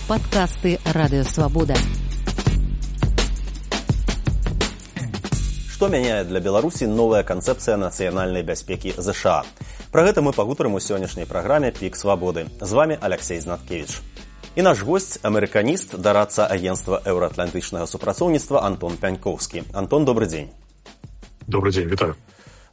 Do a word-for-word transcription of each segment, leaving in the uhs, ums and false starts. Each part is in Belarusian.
Падкасты Радыёвабода. Што мяняе для Беларусі новая канцэпцыя нацыянальнай бяспекі ЗША? Пра гэта мы пагутарым у сённяшняй праграме «Пік свабоды». З вами Алексей Знаткевич. І наш госць – амерыканіст, дарадца агенцтва еўраатлантычнага супрацоўніцтва Антон Пянькоўскі. Антон, добры дзень. Добрый дзень, вітаю.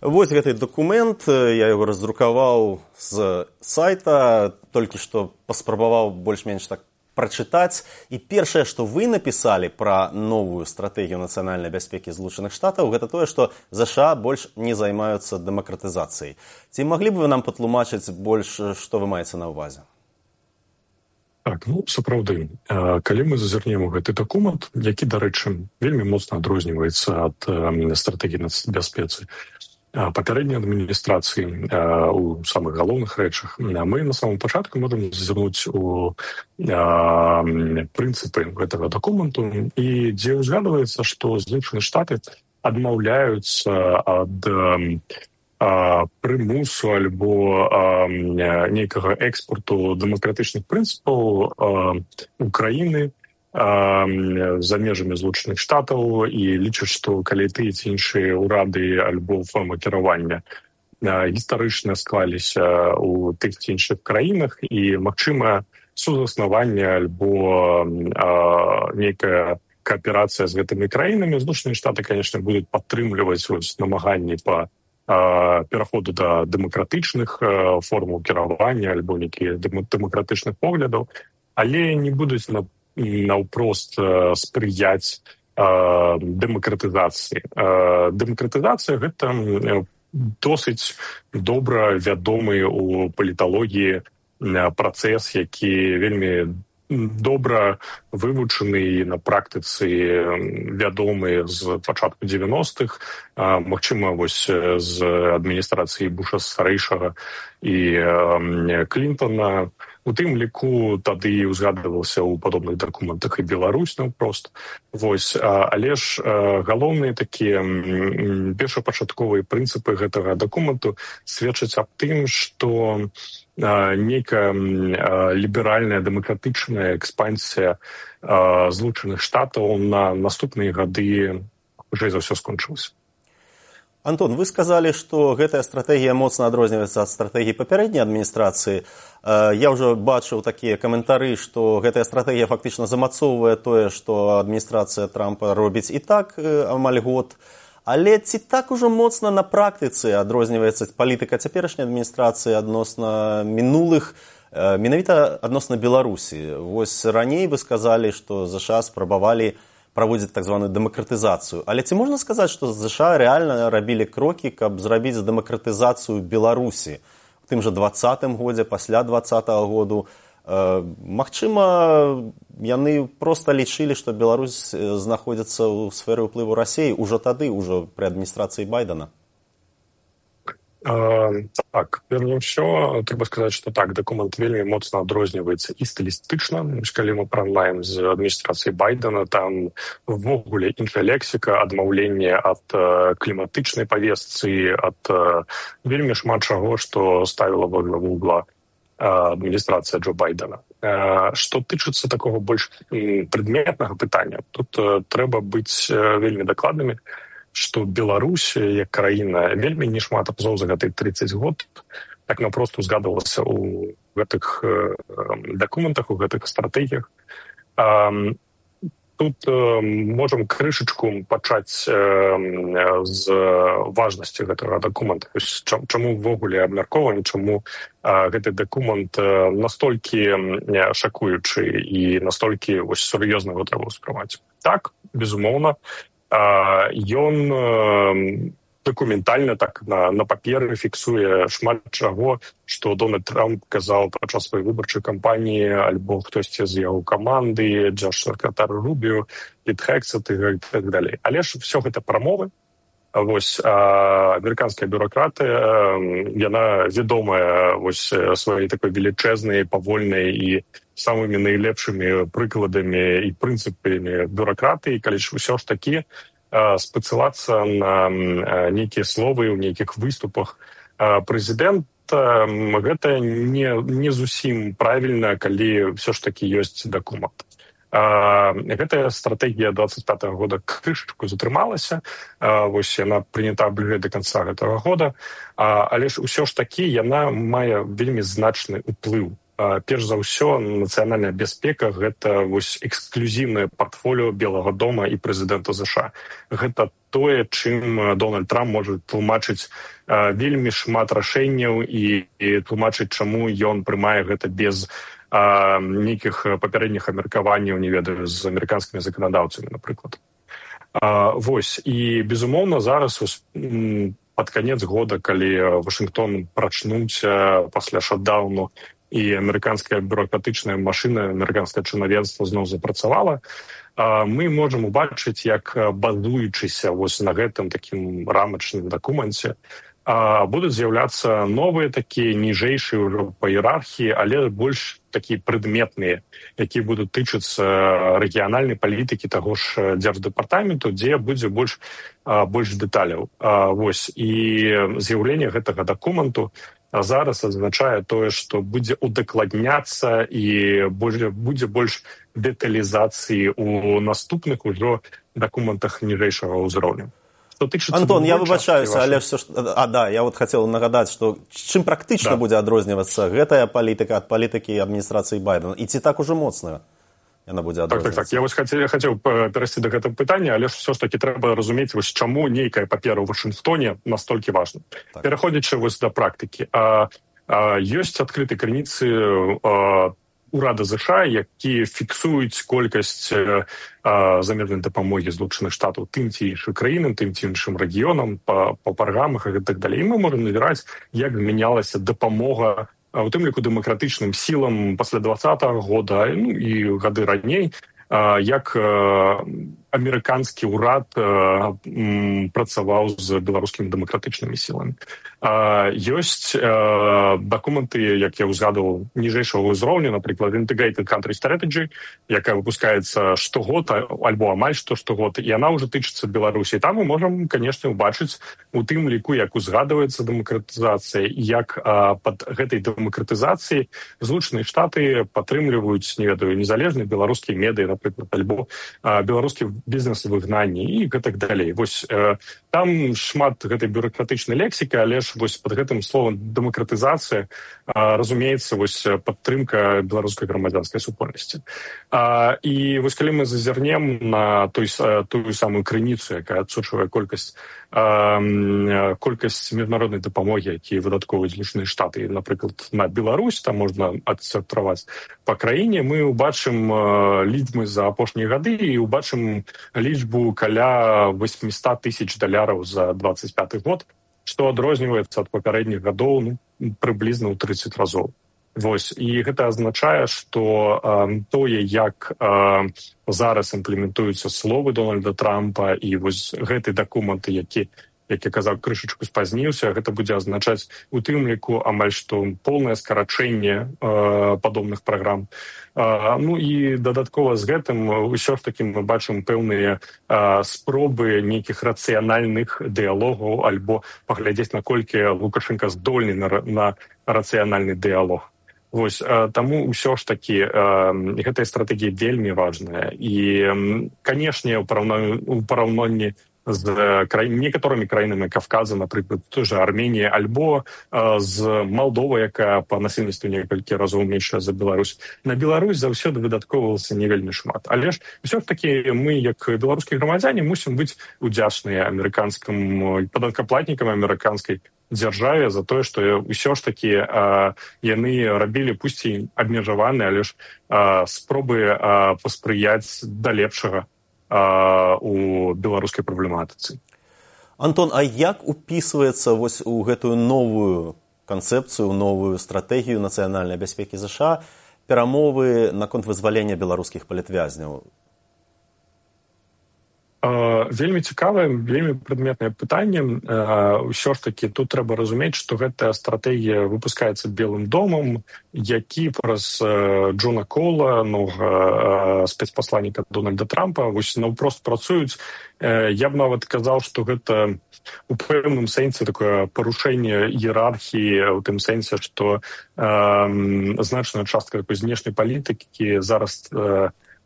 Вось гэты дакумент, я яго раздрукаваў з сайта, толькі што паспрабаваў больш-менш так прачытаць. І першае, што вы напісалі пра новую стратэгію нацыянальнай бяспекі Злучаных Штатаў, гэта тое, што ЗША больш не займаюцца дэмакратызацыяй. Ці маглі б вы нам патлумачыць больш, што вы маеце на ўвазе? Так, ну, сапраўды, калі мы зазірнем у гэты дакумент, які, дарэчы, вельмі моцна адрозніваецца ад стратэгіі нацбяспецы папярэдняй адміністрацыі у самых галоўных рэчах, мы на самом пачатку можам зазірнуць у прынцыпы гэтага дакументу, і дзе ўзгадваецца, што Злучаныя Штаты адмаўляюцца ад прымусу альбо нейкага экспорту дэмакратычных прынцыпаў Украіны за межамі Злучаных Штатаў і лічаць, што калі тыя ці іншыя ўрады альбо формы кіравання гістарычна склаліся ў тых ці іншых краінах і, магчыма, сузаснаванне альбо нейкая кааперацыя з гэтымі краінамі, Злучаныя Штаты, конечно, будуць падтрымліваць намаганні па пераходу да дэмакратычных формаў кіравання альбо нейкіх дэмакратычных поглядаў, але не будуць на наўпрост спрыяць дэмакратызацыі. Дэмакратызацыя – гэта досыць добра вядомы ў паліталогіі працэс, які вельмі добра вывучаны на практыцы вядомы з пачатку дзевяностых, магчыма, вось з адміністрацыі Буша старэйшага і Клінтона. У тым ліку тады ўзгадвалася ў падобных дакументах і Беларусь наўпрост. Вось, але ж галоўныя такія першапачатковыя прынцыпы гэтага дакументу сведчаць аб тым, што нейкая ліберальная дэмакратычная экспансія Злучаных Штатаў на наступныя гады хутчэй за ўсё скончылася. Антон, вы сказалі, што гэтая стратэгія моцна адрозніваецца ад стратэгіі папярэдняй адміністрацыі. Я ўжо бачыў такія каментары, што гэтая стратэгія фактычна замацоўвае тое, што адміністрацыя Трампа робіць і так амаль год. Але ці так ужо моцна на практыцы адрозніваецца палітыка цяперашняй адміністрацыі адносна мінулых, менавіта адносна Беларусі? Вось раней вы сказалі, што ЗША спрабавалі праводзіць так званую дэмакратызацыю. Але ці можна сказаць, што ЗША рэальна рабілі крокі, каб зрабіць дэмакратызацыю Беларусі у тым жа дваццатым годзе, пасля дваццатага году? Магчыма, яны проста лічылі, што Беларусь знаходзіцца ў сферы ўплыву Расіі ўжо тады, ўжо пры адміністрацыі Байдена? Так, перш ўсё, трэба сказаць, што так, дакумент вельмі моцна адрозніваецца і стылістычна. Калі мы параўнаем з адміністрацыяй Байдена, там ввогуле іншая лексіка, адмаўленне ад кліматычнай павестцы, ад вельмі шмат чаго, што ставіла во главу угла адміністрацыя Джо Байдена. Што тычыцца такога больш прадметнага пытання, тут трэба быць вельмі дакладнымі, што Беларусь, як краіна, вельмі не шмат разоў за гэты трыццаць год так напрост узгадвалася ў гэтых дакументах, у гэтых стратэгіях. Тут можам крышачку пачаць з важнасці гэтага дакумента. Чаму ўвогуле абмяркоўваем, чаму гэты дакумент настолькі шакуючы і настолькі сур'ёзна его трэба ўспрымаць. Так, безумоўна, ён дакументальна так на, на паперы фіксуе шмат чаго, што Дональд Трамп казаў падчас сваёй выбарчай кампаніі, альбо хтосьці з яго каманды, дзяржсакратар Рубіо, Піт Хексет і так далей. Але ж все гэта прамовы. Вось амерыканская бюракратыя, яна вядомая вось сваёй такой велічэзнай, павольнай і самымі найлепшымі прыкладамі і прынцыпамі бюракратыі, калі ж усё ж такі спецылацца на нейкія словы ў нейкіх выступах. Прэзідэнт гэта, гэта не, не зусім правільна, калі все ж таки ёсць дакумент. Гэтая стратэгія двадцать пятого года крышачку затрымалася, вось яна прынята бліжэй да канца гэтага года, але ж усё ж такі яна мае вельмі значны ўплыў. Перш за ўсё, нацыянальная бяспека – гэта вось эксклюзіўнае партфоліо Белага дома і прэзідэнта ЗША. Гэта тое, чым Дональд Трамп можа тлумачыць вельмі шмат рашэнняў і, і тлумачыць, чаму ён прымае гэта без а, нейкіх папярэдніх абмеркаванняў, не ведаю, з амерыканскімі заканадаўцамі, напрыклад. А, вось, і, безумоўна, зараз вось, пад канец года, калі Вашынгтон прачнуўся пасля шатдауну, і амерыканская бюрократычная машына, амерыканскае чынавенства зноў запрацавала, мы можам убачыць, як базуючыся вось на гэтым такім рамачным дакуменце будуць з'яўляцца новыя такія ніжэйшыя ўжо па іерархіі, але больш такія прадметныя, якія будуць тычыцца рэгіянальнай палітыкі таго ж дзярждэпартаменту, дзе будзе больш, больш дэталяў. Вось, і з'яўленне гэтага дакументу зараз азначае тое, што будзе удакладняцца і будзе больш дэталізацыі ў наступных ужо дакументах ніжэйшага ўзроўню. Антон, я выбачаюся, але все ж... А, да, я вот хотел нагадаць, што чым практычна да. будзе адрознівацца гэтая палітыка ад палітыкі адміністрацыі Байдена? І ці так ужо моцная яна будзе адрознівацца? Так, так, так. Я вось хацеў, хацеў перайсці да гэтага пытання, але ж все ж таки трэба разумець, вось чаму нейкая папера ў Вашынгтоне настолькі важна. Так. Пераходзячы вось да практыкі. А, а, ёсць адкрытыя крыніцы а, урада ЗША, які фіксуюць колькасць а, замежнай дапамогі Злучаных Штатаў тым ці іншым краінам, тым ці іншым рэгіёнам, па, па праграмах і так далей. І мы можам назіраць, як змянялася дапамога у тым ліку дэмакратычным сілам пасля двадцатага года, ну і гады раней, як амерыканскі ўрад працаваў з беларускімі дэмакратычнымі сіламі. Ёсць дакументы, як я ўзгадываў, ніжэйшага ўзроўню, напрыклад, Integrated Country Strategy, якая выпускаецца штогод, альбо амаль што штогод, і яна ўжо тычыцца Беларусі. Там мы можам, канешне, убачыць у тым ліку, як узгадваецца дэмакратызацыя, і як пад гэтай дэмакратызацыяй Злучаныя Штаты падтрымліваюць, не ведаю, незалежныя беларускія медыі, напрыклад, альбо беларускі бізнес у выгнанні і гэтак далей. Вось э, там шмат гэтай бюрократычнай лексікі, але ж вось пад гэтым словам дэмакратызацыя э, разумеецца вось падтрымка беларускай грамадзянскай супольнасці. А, і вось калі мы зазірнем на той, тую самую крыніцу, якая адсочвае колькасць э, колькасць міжнароднай дапамогі, якія выдаткоўваюць Злучаныя Штаты, напрыклад, на Беларусь, там можна адсортраваць па краіне, мы убачым э, лічбы за апошнія гады і убачым лічбу каля восемьсот тысяч даляраў за двадцать пятый год, што адрозніваецца ад папярэдніх гадоў ну, прыблізна ў тридцать разоў. Вось. І гэта азначае, што э, тое, як э, зараз імплементуюцца словы Дональда Трампа і вось гэты дакументы, які як я казаў, крышачку спазніўся, гэта будзе азначаць у тым ліку амаль што поўнае скарачэнне э, падобных праграм. Э, ну і дадаткова з гэтым усё ж такі мы бачым пэўныя э, спробы нейкіх рацыянальных дыялогаў альбо паглядзець, наколькі Лукашенка здольны на, на рацыянальны дыялог. Вось, э, таму ўсё ж такі э, гэтая стратэгія вельмі важная. І, э, канешне, у параўнанні, у параўнанні з край... некаторымі краінамі Кавказа, напрыклад, той же Арменія, альбо э, з Малдовай, якая па насельніцтву некалькі разоў меншая за Беларусь. На Беларусь заўсёды выдаткоўвалася не вельмі шмат. Але ж усё ж такі мы, як беларускія грамадзяне, мусім быць удзячныя амерыканскім падаткаплатнікам амерыканскай дзяржаве за тое, што ўсё ж такі э, яны рабілі, пусть і абмежаваны, але ж э, спробы э, паспрыяць да лепшага у беларускай праблематыцы. Антон, а як упісваецца вось у гэтую новую канцэпцыю, новую стратэгію нацыянальнай бяспекі ЗША перамовы наконт вызвалення беларускіх палітвязняў? Вельмі цікавае, вельмі прадметнае пытанне. Ўсё ж такі тут трэба разумець, што гэтая стратэгія выпускаецца Белым домам, які праз Джона Кола, новага спецпасланніка Дональда Трампа, вось наўпрост працуюць. Я б нават казаў, што гэта у пэўным сэнсе такое парушэнне іерархіі, у тым сэнсе, што значная частка такой знешняй палітыкі зараз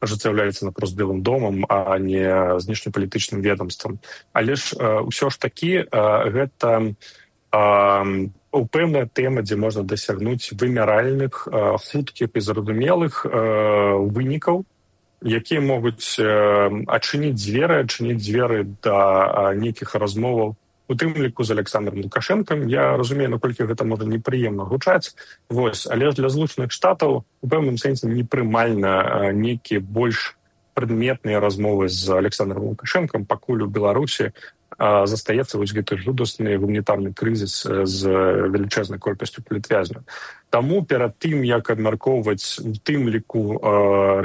ажыццяўляецца напрост Белым домам, а не знешнепалітычным ведомствам. Але ж ўсё ж такі гэта пэўная тэма, дзе можна дасягнуць вымяральных, хуткіх і зразумелых вынікаў, якія могуць адчыніць дзверы, адчыніць дзверы да нейкіх размоваў, у тым ліку з Александром Лукашэнкам. Я разумею, наколькі гэта можа непрыемна гучаць, вось, але для Злучаных Штатаў у пэўным сэнсе непрымальна нейкія больш прадметныя размовы з Александром Лукашэнкам, пакуль у Беларусі застаецца вось гэты жудасны гуманітарны крызіс з велічэзнай колькасцю палітвязняў. Таму перад тым, як абмяркоўваць у тым ліку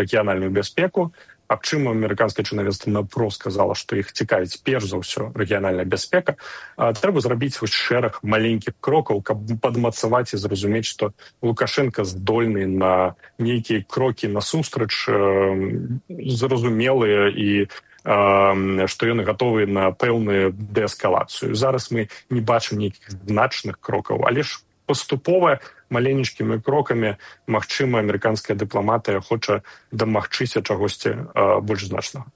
рэгіянальную бяспеку, аб чым амерыканскае чынавенства наўпрост сказала, што іх цікавіць перш за ўсё рэгіянальная бяспека, трэба зрабіць вось шэраг маленькіх крокаў, каб падмацаваць і зразумець, што Лукашенко здольны на нейкія крокі насустрач, зразумелыя, і што ён гатовы на пэўную дээскалацыю. Зараз мы не бачым нейкіх значных крокаў, але ж паступова, маленечкімі крокамі, магчыма, амерыканская дыпламатыя хоча дамагчыся чагосьці больш значнага.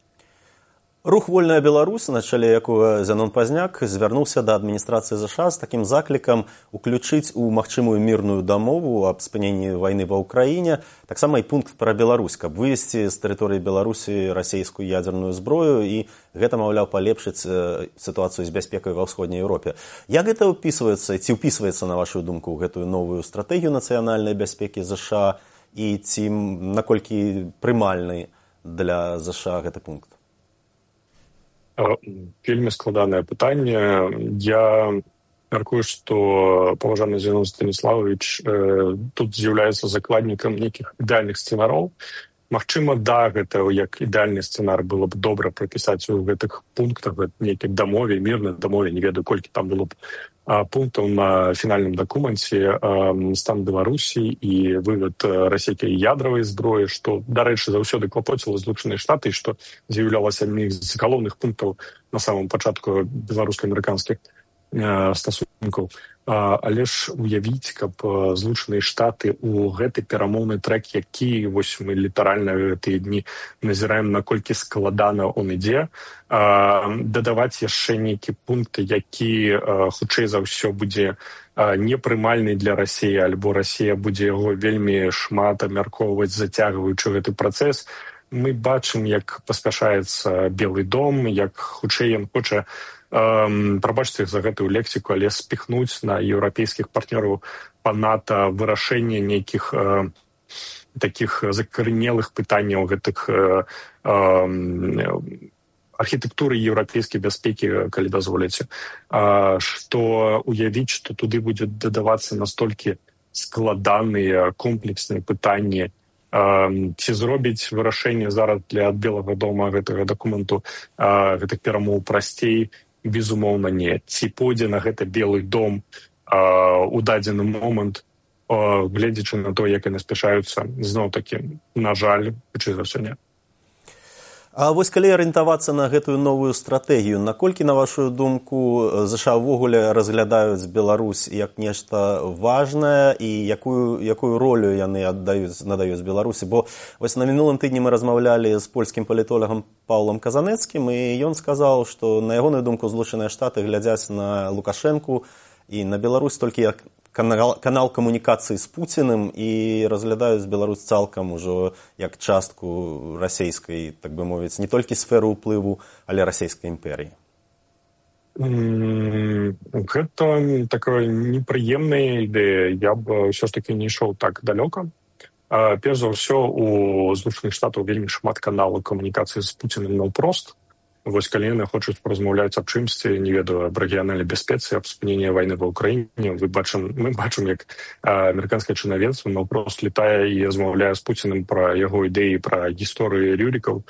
Рух «Вольная Беларусь», на чале якога Зянон Пазняк, звярнуўся да адміністрацыі ЗША з такім заклікам уключыць у магчымую мірную дамову аб спыненні вайны ва ўкраіне таксама і пункт пра Беларусь, каб вывесці з тэрыторыі Беларусі расійскую ядзерную зброю, і гэта, маўляў, палепшыць сітуацыю з бяспекай ва ўсходняй Еўропе. Як гэта ўпісваецца, ці ўпісваецца, на вашу думку, ў гэтую новую стратэгію нацыянальнай бяспекі ЗША, і ці наколькі прымальны для ЗША гэты пункт? Вельмі складанае пытанне. Я мяркую, што паважаны Зянон Станіславович тут з'яўляецца закладнікам нейкіх ідэальных сцэнароў. Магчыма, да, гэта як ідэальны сцэнар было б добра прапісаць у гэтых пунктах, нейкай дамове, мірнай дамове, не ведаю, колькі там было б пунктаў на фінальным дакуменце, стан Беларусі і вывод расійскай ядравай зброі, што, дарэчы, заўсёды клапоціла Злучаныя Штаты, што з'яўлялася адным з галоўных пунктаў на самым пачатку беларуска-амерыканскіх стасункаў. Але ж уявіць, каб Злучаныя Штаты ў гэты перамоўны трэк, які вось мы літаральна гэтыя дні назіраем, наколькі складана он ідзе, дадаваць яшчэ нейкі пункт, які хутчэй за ўсё будзе непрымальны для Расіі, альбо Расія будзе яго вельмі шмат абмяркоўваць, зацягваючы гэты працэс. Мы бачым, як паспяшаецца Белы дом, як хутчэй ён хоча, прабачце за гэтую лексіку, але спіхнуць на еўрапейскіх партнёраў па НАТО вырашэнне нейкіх такіх закарэнелых пытанняў гэтых архітэктуры еўрапейскай бяспекі, калі дазволіце, што уявіць, што туды будзе дадавацца настолькі складаныя комплексныя пытанні, ці зробіць вырашэнне зараз для Белага дома гэтага дакументу, гэтых перамоў прасцей, безумоўна, не. Ці пойдзе на гэта Белы дом у дадзены момант, гледзячы на то, як яны спяшаюцца, зноў-такі, на жаль, хутчэй за ўсё не. А вось калі арыентавацца на гэтую новую стратэгію, наколькі, на вашу думку, ЗША ўвогуле разглядаюць Беларусь як нешта важнае, і якую, якую ролю яны аддаюць, надаюць Беларусі? Бо вось на мінулым тыдні мы размаўлялі з польскім палітолагам Паўлам Казанецкім, і ён сказаў, што, на ягоную думку, Злучаныя Штаты глядзяць на Лукашэнку і на Беларусь толькі як канал, канал камунікацыі з Пуціным, і разглядаюць Беларусь цалкам ужо як частку расійскай, так бы мовіць, не толькі сферу ўплыву, але расійскай імперіі. Mm, гэта такая непрыемная ідэя. Я б ўсё ж такі не ішоў так далёка. Перш за ўсё, у Злучаных Штатаў вельмі шмат каналаў камунікацыі з Пуціным наўпрост. Вось калі яны хочуць паразмаўляць аб чымсьці, не ведаю, аб рэгіянальнай бяспецы, аб спыненні вайны ва ўкраіне, мы бачым, мы бачым, як амерыканскае чынавенства наўпрост летае і размаўляе з Пуціным пра яго ідэі, пра гісторыі Рюрікаў.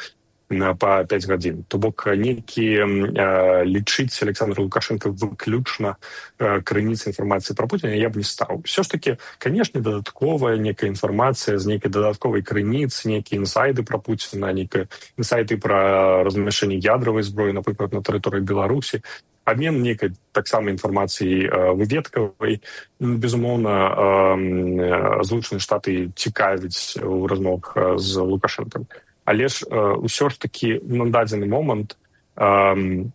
па пяць гадзін. То бок нейкі э, лічыць Александр Лукашенко выключна э, крыніцы інфармацыі пра Путіна я б не стаў. Все ж таки, канешне, дадатковая некая інфармацыя з нейкай дадатковай крыніцы, нейкія інсайды пра Пуціна, нейкія інсайды пра размяшчэнне ядравай зброі, напрыклад, на тэрыторыі Беларусі, абмен нейкай таксама інфармацыі э, выведкавай. Безумоўна, э, Злучаныя Штаты цікавяць у размовах з Лукашенком. Але ж э, ўсё ж такі на дадзены момант э,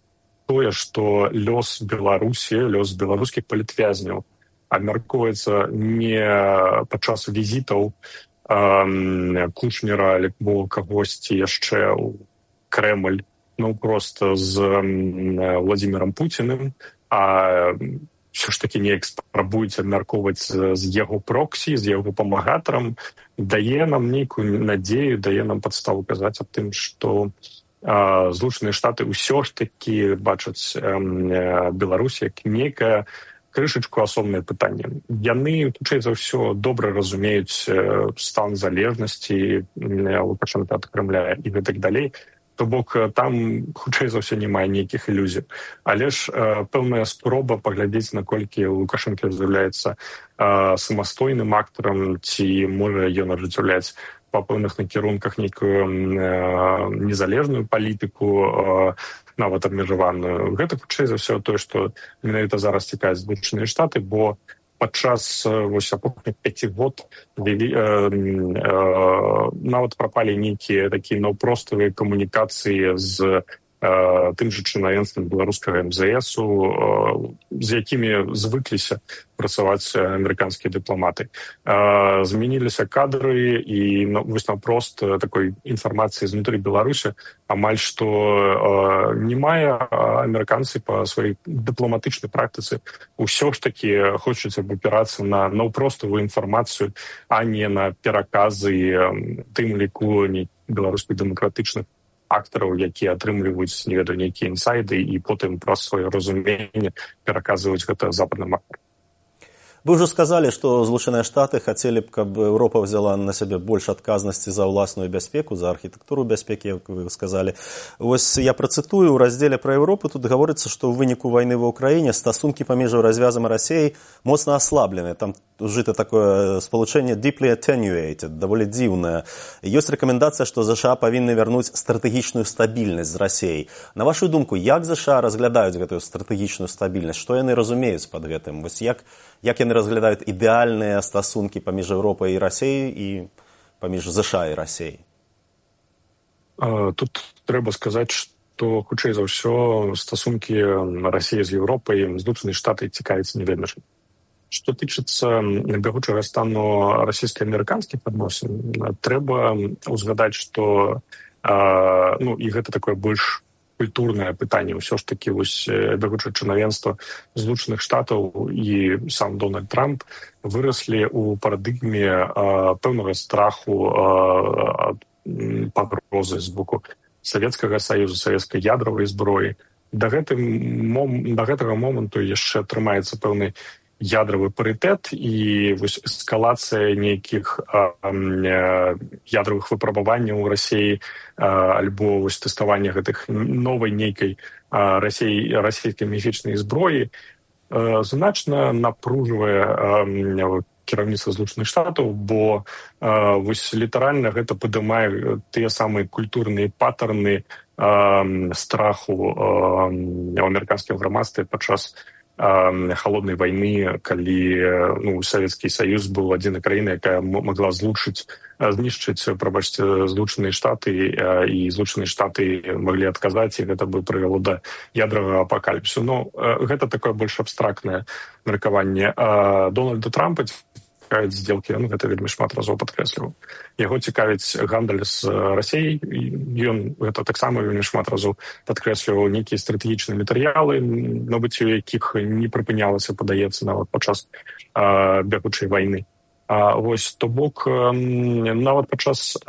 тое, што лёс Беларусі, лёс беларускіх палітвязняў абмяркоўваецца не падчас візітаў э, Кушнера альбо кагосьці яшчэ ў Крэмль, ну проста з э, Владзімірам Пуціным, а ўсё ж такі неяк спрабуюць абмяркоўваць з, з яго проксі, з яго памагатарам, дае нам нейкую надзею, дае нам падставу казаць аб тым, што э, Злучаныя Штаты ўсё ж такі бачаць э, Беларусь як нейкае крышачку асобнае пытанне. Яны, хутчэй за ўсё, добра разумеюць э, стан залежнасці э, Лукашенка ад Крэмля і гэтак далей. То бок там, хутчэй за ўсё, не мае нейкіх ілюзій. Але ж э, пэўная спроба паглядзець, наколькі Лукашенко з'яўляецца э, самастойным актарам, ці можа ён ажыццяўляць па пэўных накірунках нейкую э, незалежную палітыку, э, нават абмежаваную. Гэта, хутчэй за ўсё, тое, што менавіта зараз цікавіць Злучаныя Штаты, бо падчас вось апошніх пяці год э, э, нават прапалі нейкія такія наўпроставыя камунікацыі з э, тым жа чынавенствам беларускага эм зэ эсу, э, з якімі звыкліся працаваць амерыканскія дыпламаты. Э, змяніліся кадры і ну, вось наўпрост такой інфармацыі знутры Беларусі амаль што э, не мае амерыканцы па сваёй дыпламатычнай практыцы ўсё ж такі хочуць абапірацца на наўпроставую інфармацыю, а не на пераказы э, тым ліку беларускіх дэмакратычных актараў, якія атрымліваюць, не ведаю, нейкія інсайды і потым праз сваё разуменне пераказваюць гэта западным актарам. Вы ўжо сказалі, што Злучаныя Штаты хацелі б, каб Еўропа взяла на сябе больш адказнасці за ўласную бяспеку, за архітэктуру бяспекі, як вы сказалі. Вось я працытую, у раздзеле пра Еўропу тут гаворыцца, што ў выніку вайны ва ўкраіне стасункі паміж развязам і Расіяй моцна аслаблены. Там ужыта такое спалучэнне deeply attenuated, даволі дзіўнае. Ёсць рэкамендацыя, што ЗША павінны вярнуць стратэгічную стабільнасць з Расіяй. На вашу думку, як ЗША разглядаюць гэтую стратэгічную стабільнасць? Што яны разумеюць пад гэтым? Вось як Як яны разглядаюць ідэальныя стасункі паміж Еўропай і Расіяй і паміж ЗША і Расіяй? Тут трэба сказаць, што, хутчэй за ўсё, стасункі Расіі з Еўропай, Злучаныя Штаты цікавяцца не вельмі. Што тычыцца бягучага стану расійска-амерыканскіх адносін, трэба ўзгадаць, што ну, і гэта такое больш культурнае пытанне. Ўсё ж такі вось бягучае чынавенства Злучаных Штатаў і сам Дональд Трамп выраслі ў парадыгме э, пэўнага страху э, ад пагрозы з боку Савецкага Саюзу, савецкай ядравай зброі. Да, гэтым, мом, да гэтага моманту яшчэ трымаецца пэўны ядравы парытэт і вось эскалацыя нейкіх а, а, ядравых выпрабаванняў у Расіі а, альбо вось тэставання гэтых новай нейкай а, расей, расійскай міфічнай зброі а, значна напружвае а, кіраўніцтва Злучаных Штатаў, бо а, вось літаральна гэта падымае тыя самыя культурныя паттерны а, страху а, у амерыканскім грамадстве падчас холоднай вайны, калі ну, Савецкі Саюз быў адзінай краінай, якая могла злучыць, знішчыць, прабачце, Злучаныя Штаты, і Злучаныя Штаты маглі адказаць, і гэта бы прывяло да ядравага апакаліпсісу. Но гэта такое больш абстрактнае меркаванне. Дональда Трампа цікавяць здзелкі, ну, гэта вельмі шмат разоў падкрэсліваў. Яго цікавіць гандаль з Расіяй, ён гэта таксама вельмі шмат разоў падкрэсліваў нейкія стратэгічныя матэрыялы, набыццё якіх не прыпынялася, падаецца, нават падчас бягучай вайны. А, вось, то бок, нават падчас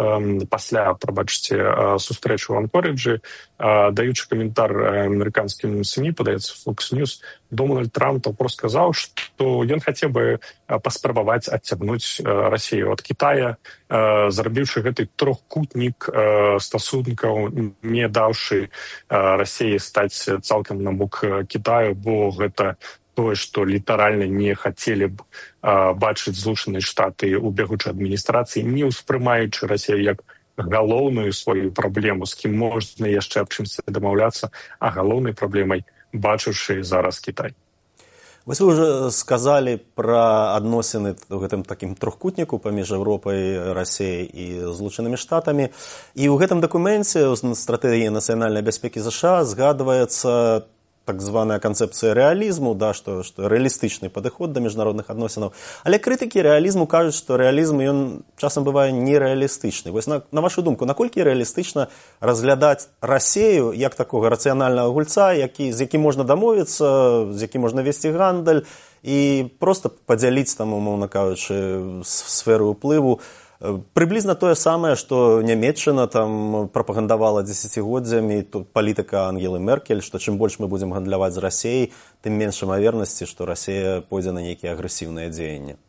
пасля, прабачце, сустрэчы ў Анкорыджы, даючы каментар амерыканскім СМІ, падаецца Fox News, Дональд Трамп прост сказаў, што ён хацеў бы паспрабаваць адцягнуць Расію ад Кітая, зрабіўшы гэты трохкутнік стасункаў, не даўшы Расіі стаць цалкам на бок Кітаю, бо гэта тое, што літаральна не хацелі б а, бачыць Злучаныя Штаты ў бягучай адміністрацыі, не ўспрымаючы Расію як галоўную сваю праблему, з кім можна яшчэ аб чымсьці дамаўляцца, а галоўнай праблемай бачыўшы зараз Кітай. Вось вы уже сказалі пра адносіны ў гэтым такім трохкутніку паміж Еўропай, Расіяй і Злучанымі Штатамі. І ў гэтым дакуменце ў стратэгіі нацыянальнай бяспекі ЗША згадваецца так званая канцэпцыя рэалізму, да, што, што рэалістычны падыход да міжнародных адносінаў. Але крытыкі рэалізму кажуць, што рэалізм ён часам бывае нерэалістычны. Вось на, на вашу думку, наколькі рэалістычна разглядаць Расію як такога рацыянальнага гульца, які, з якім можна дамовіцца, з якім можна весці гандаль і проста падзяліць там, умоўна кажучы, сферу ўплыву. Прыблізна тое самае, што Нямецчына там прапагандавала дзесяцігоддзямі, тут палітыка Ангелы Меркель, што чым больш мы будзем гандляваць з Расіяй, тым менш імавернасці, што Расія пойдзе на нейкія агрэсіўныя дзеянні.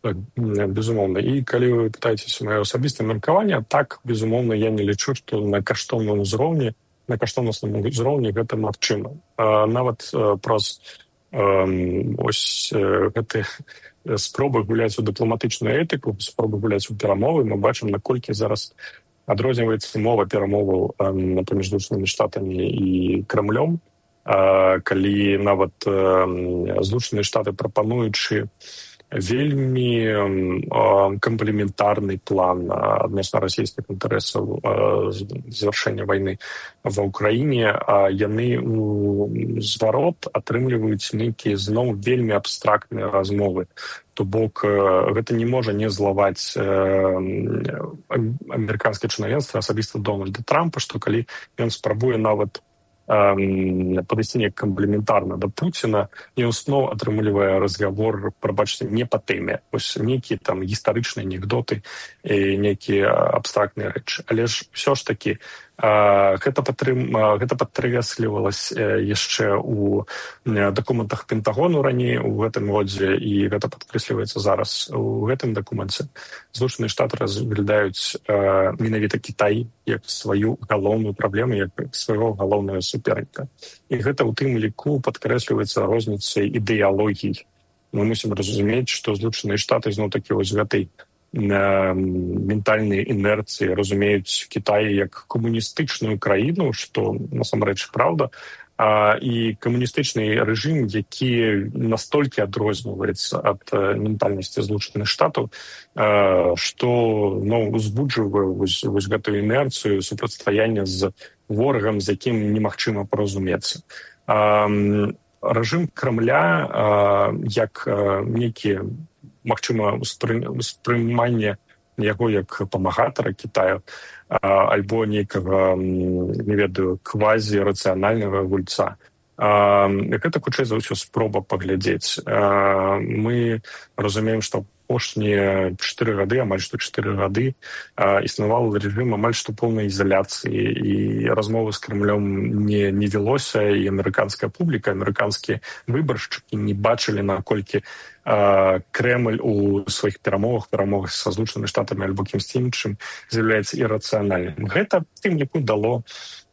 Так, безумоўна. І калі вы пытаецеся маё асабістае меркаванне, так, безумоўна, я не лічу, што на каштоўным узроўні, на каштоўнасным узроўні гэта магчыма. Нават праз ось гэты спробы гуляць у дыпламатычную этыку, спробы гуляць у перамовы, мы бачым, наколькі зараз адрозніваецца мова перамоваў паміж Злучанымі Штатамі і Крамлём, калі нават Злучаныя Штаты, прапануючы вельмі камплементарны план адносна расійскіх інтарэсаў завяршэння вайны ва ўкраіне, а яны ў зварот атрымліваюць нейкія зноў вельмі абстрактныя размовы. То бок гэта не можа не злаваць амерыканскае чынавенства, асабіста Дональда Трампа, што калі ён спрабуе нават падысці неяк камплементарна да Пуціна, ён зноў атрымлівае разгавор, прабачце, не па тэме. Вось нейкія там гістарычныя анекдоты і нейкія абстрактныя рэчы. Але ж ўсё ж такі гэта падтрым... гэта падкрэслівалася яшчэ ў дакументах Пентагону раней у гэтым годзе, і гэта падкрэсліваецца зараз у гэтым дакуменце. Злучаныя Штаты разглядаюць менавіта Кітай як сваю галоўную праблему, як свайго галоўнага суперніка. І гэта ў тым ліку падкрэсліваецца розніцай ідэалогій. Мы мусім разумець, што Злучаныя Штаты зноў-такі вось гэтай ментальнай інерцыі разумеюць Кітай як камуністычную краіну, што насамрэч праўда, а, і камуністычны рэжым, які настолькі адрозніваецца ад ментальнасці Злучаных Штатаў, а, што ну, узбуджвае вось, вось гэтую інерцыю супрацьстаяння з ворагам, з якім немагчыма паразумецца. А, рэжым Крамля а, як а, нейкі магчыма, успрыманне яго як памагатара Кітаю, альбо нейкага, не ведаю, квазі-рацыянальнага гульца. Гэта, хутчэй за ўсё, спроба паглядзець. Мы разумеем, што апошнія чатыры гады, амаль што чатыры гады, існаваў рэжым амаль што поўнай ізаляцыі, і размовы з Крамлём не, не велося, і амерыканская публіка, амерыканскія выбаршчыкі не бачылі, наколькі Кремль у сваіх перамовах, перамовах са Злучанымі Штатамі альбо кімсьці іншым з'яўляецца ірацыянальным. Гэта тым ліку дало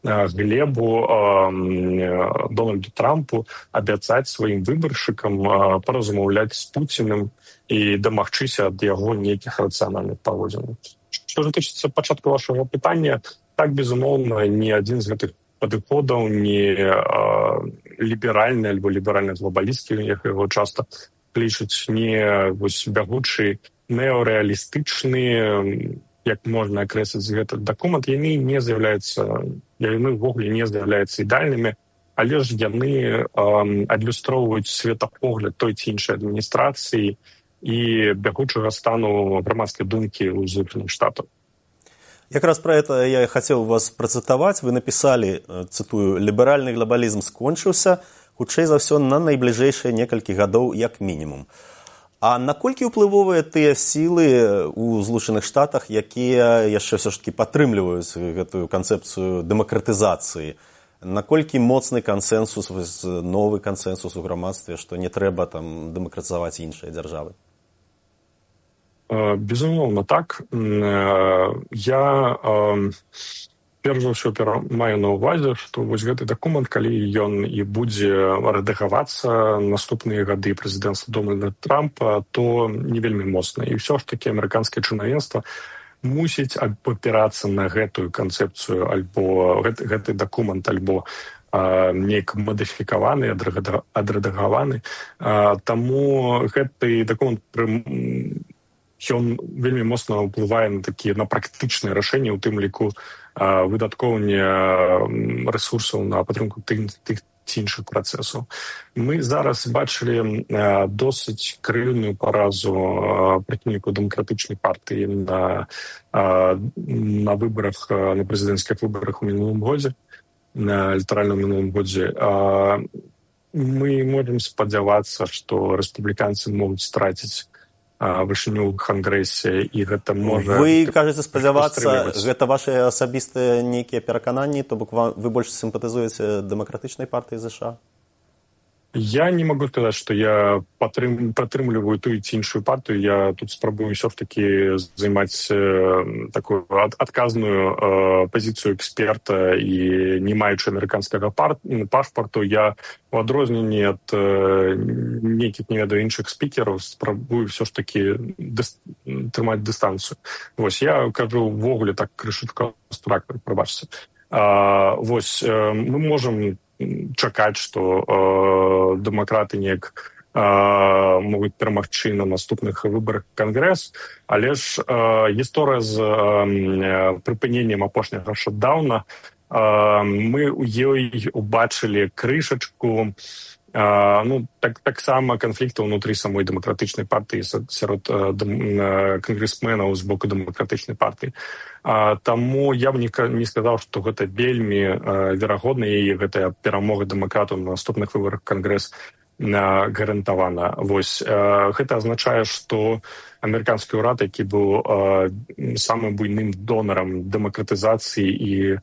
глебу Дональду Трампу абяцаць сваім выбаршчыкам паразмаўляць з Пуціным і дамагчыся ад яго нейкіх рацыянальных паводзінаў. Што ж тычыцца пачатку вашага пытання, так, безумоўна, ні адзін з гэтых падыходаў, не ліберальны альбо ліберальна-глобалісцкі, як яго часта лічаць, не вось бягучы неарэалістычны, як можна акрэсліць гэты дакумент, яны не з'яўляюцца, яны ўвогуле не з'яўляюцца ідеальнымі, але ж яны адлюстроўваюць светапогляд той ці іншай адміністрацыі і бягучага стану грамадскай думкі ў Злучаных Штатах. Якраз про это я хотел вас процитовать. Вы написали, цитую, «Ліберальны глобалізм скончыўся, хутчэй за ўсё на найбліжэйшыя некалькі гадоў як мінімум». А наколькі ўплывовыя тыя сілы ў Злучаных Штатах, якія яшчэ ўсё ж такі падтрымліваюць гэтую канцэпцыю дэмакратызацыі? Наколькі моцны кансэнсус, новы кансэнсус у грамадстве, што не трэба там дэмакратызаваць іншыя дзяржавы? Безумоўна, так. Я перш за ўсё маю на ўвазе, што вось гэты дакумент, калі ён і будзе рэдагавацца наступныя гады прэзідэнцтва Дональда Трампа, то не вельмі моцна. І ўсё ж такі амерыканскае чынавенства мусіць абапірацца на гэтую канцэпцыю, альбо гэты, гэты дакумент, альбо а, неяк мадыфікаваны, адрэдагаваны. А, таму гэты дакумент ён вельмі моцна ўплывае на такія на практычныя рашэнні, у тым ліку а, выдаткоўвання рэсурсаў на падтрымку тых, тых ці іншых працэсаў. Мы зараз бачылі а, досыць крыўную паразу прыхільнікаў дэмакратычнай партыі на, а, на выбарах, на прэзідэнцкіх выбарах у мінулым годзе, на электаральным мінулым годзе. А, мы можам спадзявацца, што рэспубліканцы могуць страціць вышыню ў Кангрэсе, і гэта можа... Вы кажаце спадзявацца, гэта ваши асабістыя нейкія перакананні, то бок вы больш сімпатызуеце дэмакратычнай партыі ЗША? Я не могу сказать, что я падтрым, падтрымліваю ту ці іншую партыю. Я тут спрабую ўсё ж таки займаць э, такую ад, адказную э, пазіцыю эксперта, і не маючы амерыканскага пар, пашпарту, я у адрозненні ад э, нейкіх, не ведаю, іншых спікераў спрабую ўсё ж таки дыс, трымаць дыстанцыю. Вось, я кажу ўвогуле так крышачка абстрактна, прабачце. А, вось, э, мы можам чакаць, што э, дэмакраты неяк э, могуць перамагчы на наступных выбарах Кангрэс, але ж э, гісторыя з э, прыпыненнем апошняга шатдауна, э, мы ў ёй убачылі крышачку, э, ну, так, таксама канфлікта ўнутры самой дэмакратычнай партыі сярод э, дэм, кангрэсменаў з боку дэмакратычнай партыі. А, таму я б не, не сказаў, што гэта вельмі э, верагодна, і гэтая перамога дэмакратаў на наступных выбарах Кангрэс э, гарантавана. Вось, э, гэта азначае, што амерыканскі ўрад, які быў э, самым буйным донарам дэмакратызацыі і э,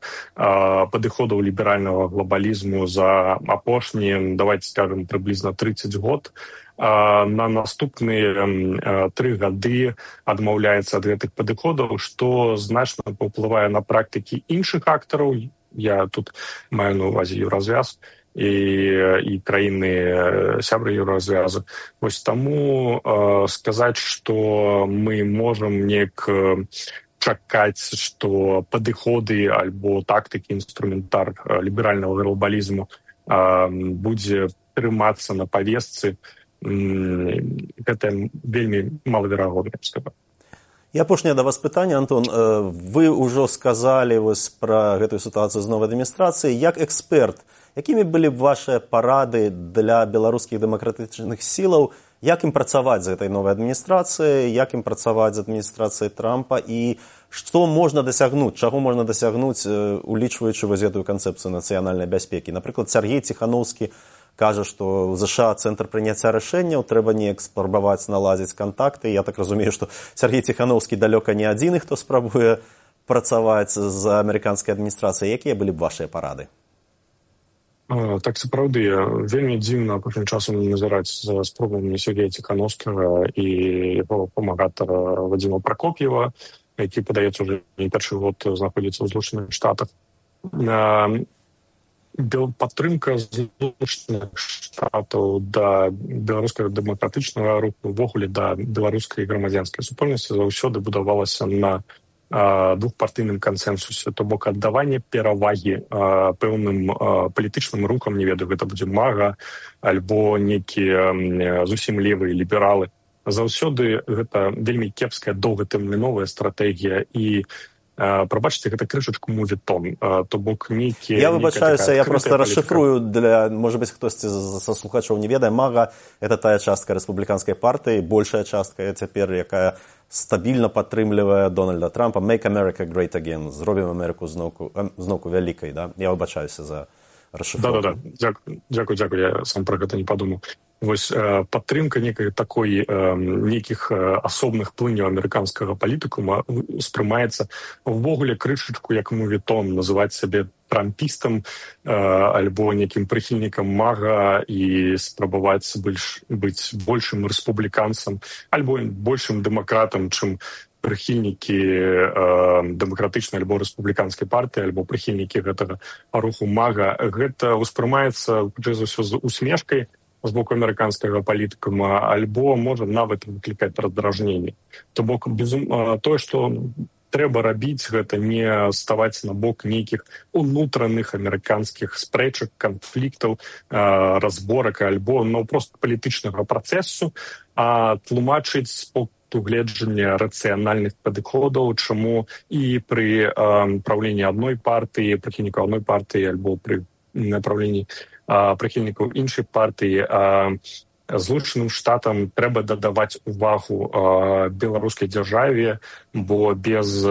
падыходаў ліберальнага глобалізму за апошнія, давайте скажем, прыблізна тридцать год, на наступныя тры гады адмаўляецца ад гэтых падыходаў, што значна паўплывае на практыкі іншых актараў. Я тут маю на ўвазе Еўразвяз і, і краіны сябры Еўразвязу. Вось таму э, сказаць, што мы можам неяк чакаць, што падыходы альбо тактыкі, інструментар ліберальнага глобалізму э, будзе трымацца на павестцы, гэта вельмі малаверагодна, я б сказаў. І апошняе да вас пытанне, Антон. Вы ўжо сказалі вось пра гэтую сітуацыю з новай адміністрацыяй. Як эксперт, якімі былі б вашыя парады для беларускіх дэмакратычных сілаў, як ім працаваць з гэтай новай адміністрацыяй, як ім працаваць з адміністрацыяй Трампа, і што можна дасягнуць, чаго можна дасягнуць, улічваючы вось гэтую канцэпцыю нацыянальнай бяспекі? Напрыклад, Сяргей Ціханаўскі кажа, што ў ЗША цэнтр прыняцця рашэнняў, трэба неяк спрабаваць наладзіць кантакты. Я так разумею, што Сяргей Ціханаўскі далёка не адзіны, хто спрабуе працаваць з амерыканскай адміністрацыяй. Якія былі б вашыя парады? А, так, сапраўды, вельмі дзіўна апошнім часам назіраць за спробамі Сергея Ціханаўскага і яго памагатара Вадзіма Пракоп'ева, які, падаецца, уже не першы год знаходзіцца ў Злучаных Штатах. Падтрымка Злучаных Штатаў да беларускага дэмакратычнага руху, увогуле да беларускай грамадзянскай супольнасці заўсёды будавалася на а, двухпартыйным кансэнсусе, то бок аддаванне перавагі а, пэўным а, палітычным рухам, не ведаю, гэта будзе мага альбо нейкія зусім левыя лібералы. Заўсёды гэта вельмі кепская доўгатэрміновая стратэгія, і прабачце, гэта крышачку мувітон, то бок нейкі... Я выбачаюся, я просто расшифрую для, может быть, хтосьці са слухачоў не ведае. Мага — это тая частка рэспубліканскай партыі, большая частка цяпер, якая стабільна падтрымлівае Дональда Трампа. Make America Great Again. Зробім Амерыку зноўку, зноўку вялікай, да? Я выбачаюся за расшифровку. Да-да-да, дзякую, дзякую, я сам пра гэта не падумаў. Вось падтрымка некай такой нейкіх асобных плыняў амерыканскага палітыкума успрымаецца ўвогуле крышачку як мувітон, называць сябе трампістам альбо нейкім прыхільнікам мага і спрабаваць больш, быць большым рэспубліканцам альбо большым дэмакратам, чым прыхільнікі э, дэмакратычнай альбо рэспубліканскай партыі альбо прыхільнікі гэтага руху мага. Гэта ўспрымаецца хутчэй за ўсё з усмешкай з боку амерыканскага палітыкума, альбо можа нават выклікаць раздражненне. То бок безум... тое, што трэба рабіць, гэта не ставаць на бок нейкіх унутраных амерыканскіх спрэчак, канфліктаў, разборак альбо ну, проста палітычнага працэсу, а тлумачыць з пункту гледжання рацыянальных падыходаў, чаму і пры правленні адной партыі, прыхільнікаў адной партыі альбо пры направленні прыхільнікаў іншай партыі Злучаным Штатам трэба дадаваць увагу беларускай дзяржаве, бо без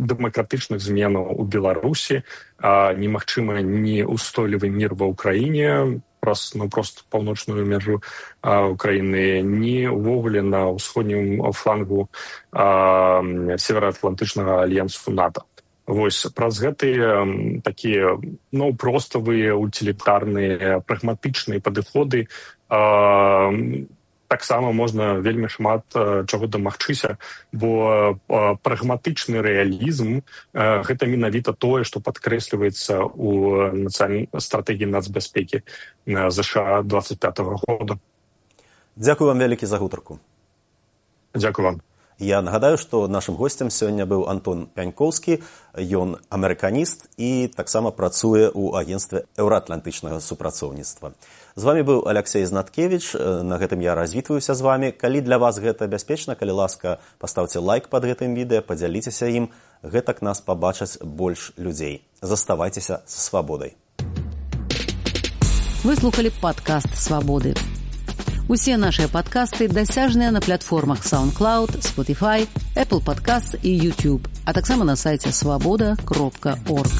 дэмакратычных зменаў у Беларусі немагчыма ні ўстойлівы мір ва ўкраіне праз ну, проста паўночную мяжу Украіны, ні ўвогуле на ўсходнім флангу североатлантычнага альянсу НАТО. Вось праз гэтыя такія ну, проставыя, утилітарныя, прагматычныя падыходы а, таксама можна вельмі шмат а, чаго дамагчыся, бо а, прагматычны рэалізм а, гэта менавіта тое, што падкрэсліваецца ў нацыянальнай стратэгіі нацбяспекі ЗША двадцать пятого года. Дзякую вам вялікі за гутарку. Дзякую вам. Я нагадаю, што нашым госцем сёння быў Антон Пянькоўскі, ён амерыканіст і таксама працуе ў агенцтве еўраатлантычнага супрацоўніцтва. З вами быў Аляксей Знаткевіч, на гэтым я развітваюся з вами. Калі для вас гэта бяспечна, калі ласка, паставце лайк пад гэтым відэа, падзяліцеся ім, гэтак нас пабачаць больш людзей. Заставайцеся са свабодай. Вы слухали падкаст «Свабоды». Усе нашыя падкасты дасяжныя на платформах SoundCloud, Spotify, Apple Podcasts і YouTube, а таксама на сайце свабода кропка орг.